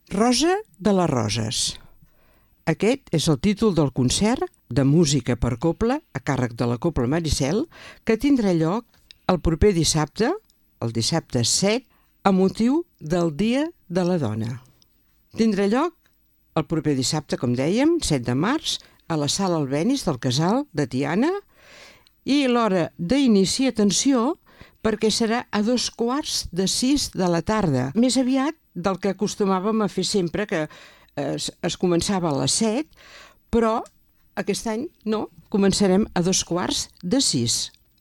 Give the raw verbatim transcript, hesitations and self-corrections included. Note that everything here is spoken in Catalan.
Rosa de les Roses. Aquest és el títol del concert de música per cobla a càrrec de la Cobla Maricel que tindrà lloc el proper dissabte, el dissabte set, a motiu del Dia de la Dona. Tindrà lloc el proper dissabte, com dèiem, set de març, a la Sala Albéniz del Casal de Tiana, i l'hora d'inici, atenció, perquè serà a dos quarts de sis de la tarda, més aviat del que acostumàvem a fer sempre, que es, es començava a les set, però aquest any no, començarem a dos quarts de sis.